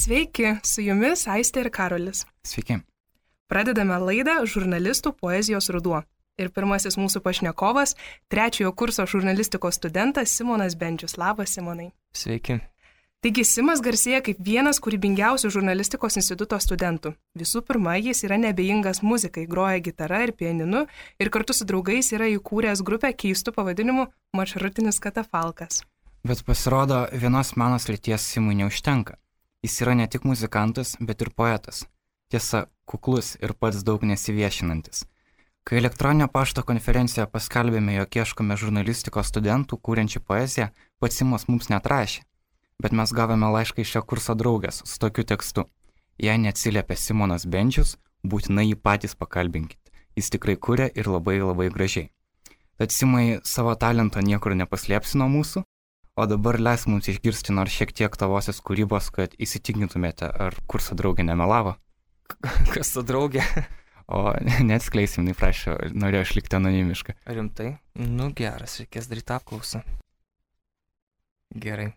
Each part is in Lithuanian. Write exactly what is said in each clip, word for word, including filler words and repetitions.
Sveiki, su jumis Aistė ir Karolis. Sveiki. Pradedame laidą Žurnalistų poezijos ruduo. Ir pirmasis mūsų pašnekovas, trečiojo kurso žurnalistikos studentas Simonas Bendžius. Labas, Simonai. Sveiki. Taigi Simas garsėja kaip vienas kūrybingiausių žurnalistikos instituto studentų. Visų pirma, jis yra neabejingas muzikai, groja gitara ir pianinu ir kartu su draugais yra įkūręs grupę keistų pavadinimu Maršrutinis katafalkas. Bet pasirodo, vienos meno srities Simui neužtenka. Jis yra ne tik muzikantas, bet ir poetas. Tiesa, kuklus ir pats daug nesiviešinantis. Kai elektroninio pašto konferencijoje paskelbėme, jog ieškome žurnalistikos studentų kūrenčių poeziją, pats Simas mums neatrašė. Bet mes gavome laišką iš šio kurso draugės su tokiu tekstu. Jei neatsiliepia Simonas Bendžius, būtinai jį patys pakalbinkit. Jis tikrai kuria ir labai labai gražiai. Tad Simai, savo talento niekur nepaslėpsi nuo mūsų, o dabar leis mums išgirsti nors šiek tiek tavosios kūrybos, kad įsitikintumėte, ar kurso draugė nemelavo. Kas ta draugė? O neatskleisim, nei prašau, norėjau išlikti anonimišką. Rimtai? Nu geras, reikės daryti apklausą. Gerai.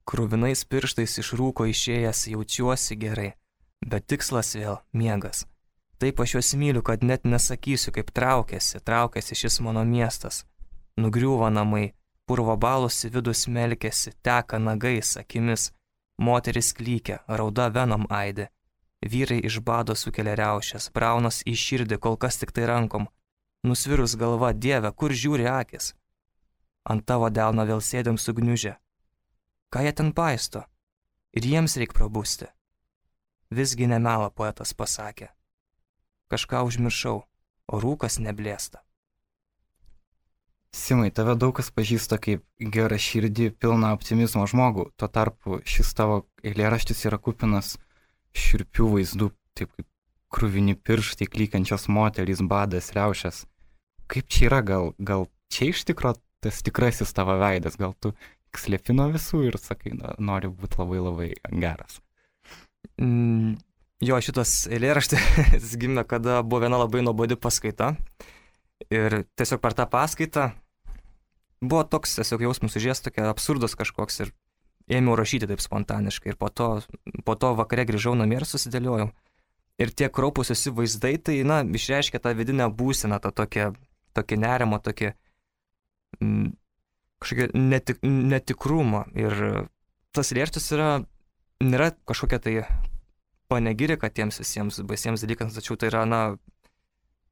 Kruvinais pirštais iš rūko išėjęs jaučiuosi gerai, bet tikslas vėl miegas. Taip aš juos myliu, kad net nesakysiu, kaip traukiasi, traukiasi šis mano miestas. Nugriūva namai, purvo balos į vidų smelkėsi, teka nagais, akimis, moteris klykia, rauda venom aidė. Vyrai iš bado sukelia riaušės, braunas į širdį, kol kas tik tai rankom. Nusvirus galva, Dieve, kur žiūri akis? Ant tavo delno vėl sėdėm sugniužę. Ką jie ten paisto? Ir jiems reik prabusti. Visgi nemela poetas pasakė. Kažką užmiršau, o rūkas neblėsta. Simai, tave daug kas pažįsta kaip gerą širdį, pilną optimizmo žmogų. Tuo tarpu šis tavo eilėraštis yra kupinas šiurpių vaizdų, taip kaip kruvini pirštai, klykiančios moterys, badas, riaušės. Kaip čia yra? Gal, gal čia iš tikro tas tikrasis tavo veidas? Gal tu slėpi nuo visų ir sakai, na, nori būti labai labai geras? Mm, jo, šitas eilėraštis gimė, kada buvo viena labai nuobodi paskaita. Ir tiesiog per tą paskaitą buvo toks tiesiog jausmas užės, tokia absurdas kažkoks ir ėmiau rašyti taip spontaniškai. Ir po to, po to vakare grįžau namie ir susidėliojau. Ir tie kraupūs visi vaizdai, tai, na, išreiškia tą vidinę būseną, tą tokią, tokį nerimą, tokį mm, kažkokį netik, netikrumą. Ir tas eilėraštis yra, nėra kažkokia tai panegirika tiems visiems baisiems dalykams, tačiau tai yra, na,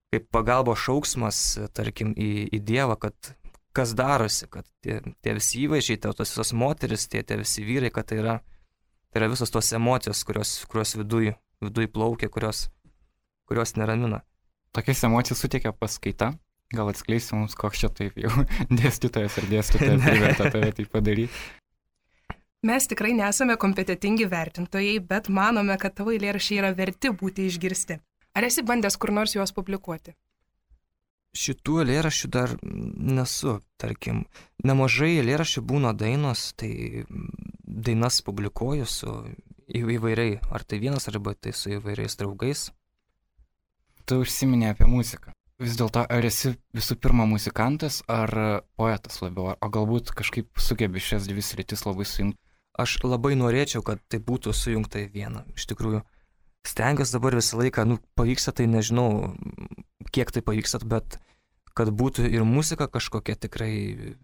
kaip pagalbos šauksmas, tarkim, į, į Dievą, kad kas darosi, kad tie, tie visi įvaizdžiai, tos visos moteris, tie, tie visi vyrai, kad tai yra, tai yra visos tos emocijos, kurios, kurios viduj, viduj plaukia, kurios, kurios neramina. Tokias emocijas suteikia paskaita. Gal atskleisi mums, koks čia taip jau dėstytojas ar dėstytoja privertė tave tai padaryti? Mes tikrai nesame kompetitingi vertintojai, bet manome, kad tavo eilėraščiai yra verti būti išgirsti. Ar esi bandęs kur nors juos publikuoti? Šitų eilėraščių dar nesu, tarkim. Nemažai eilėraščių būna dainos, tai dainas publikuoju su įvairiai, ar tai vienas, arba tai su įvairiais draugais. Tu užsiminė apie muziką. Vis dėlto, ar esi visų pirma muzikantas ar poetas labiau, o galbūt kažkaip sugebi šias dvi sritis labai sujungti? Aš labai norėčiau, kad tai būtų sujungta į vieną. Iš tikrųjų, stengiuosi dabar visą laiką, nu, pavyksta, tai nežinau, kiek tai pavyksta, bet kad būtų ir muzika kažkokia tikrai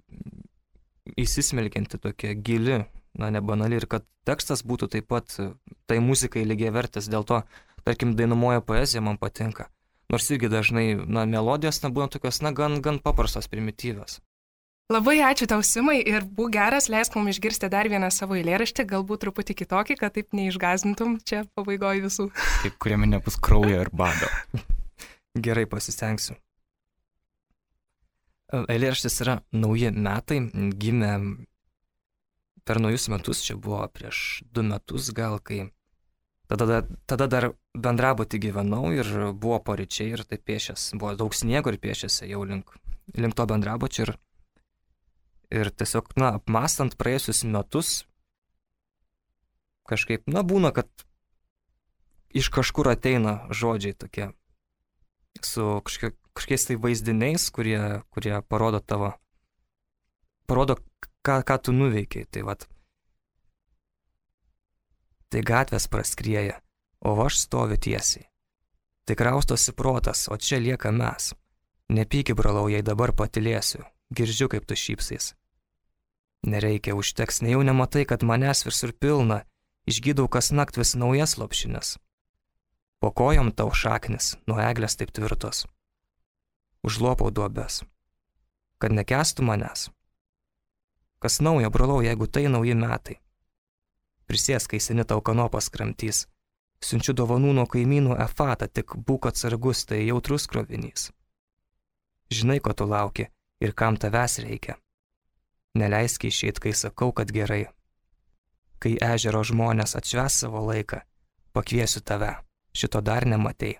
įsismelkianti, tokia gili, na, nebanali, ir kad tekstas būtų taip pat tai muzikai lygiavertis. Dėl to, tarkim, dainuoja poezija man patinka. Nors irgi dažnai, na, melodijos nebūna tokios, na, gan, gan paprastos, primityvios. Labai ačiū tau, Simai, ir būk geras, leisk mums išgirsti dar vieną savo eilėraštį, galbūt truputį kitokį, kad taip neišgąsdintum čia pabaigoje visų. Taip, kuriame nebus kraujo ir bado. Gerai, pasistengsiu. Eilėraštis yra nauji metai, gimė per naujus metus, čia buvo prieš du metus gal, kai tada, tada dar bendrabutį gyvenau ir buvo paryčiai ir tai piešęs, buvo daug sniego ir piešėsi jau link, link to bendrabučio ir, ir tiesiog, na, apmąstant praėjusius metus, kažkaip, na, būna, kad iš kažkur ateina žodžiai tokie su kažkiek, kažkiais tai vaizdiniais, kurie, kurie parodo tavo, parodo, ką, ką tu nuveikiai. Tai vat, tai gatvės praskrieja, o aš stoviu tiesiai. Tai kraustosi protas, o čia lieka mes. Nepyki, brolau, jei dabar patilėsiu, girdžiu, kaip tu šypsais. Nereikia, užteks, nejau nematai, kad manęs visur pilna, išgydau kas nakt vis naujas lopšines. Po kojom tau šaknis, nuo eglės taip tvirtos. Užlopau duobes, kad nekęstų manęs. Kas naujo, brolau, jeigu tai nauji metai. Prisės, kai seni tau kanopas kramtys. Siunčiu dovanų nuo kaimynų efatą, tik būk atsargus, tai jautrus krovinys. Žinai, ko tu lauki ir kam tavęs reikia. Neleisk išeit, kai sakau, kad gerai. Kai ežero žmonės atšvęs savo laiką, pakviesiu tave, šito dar nematei.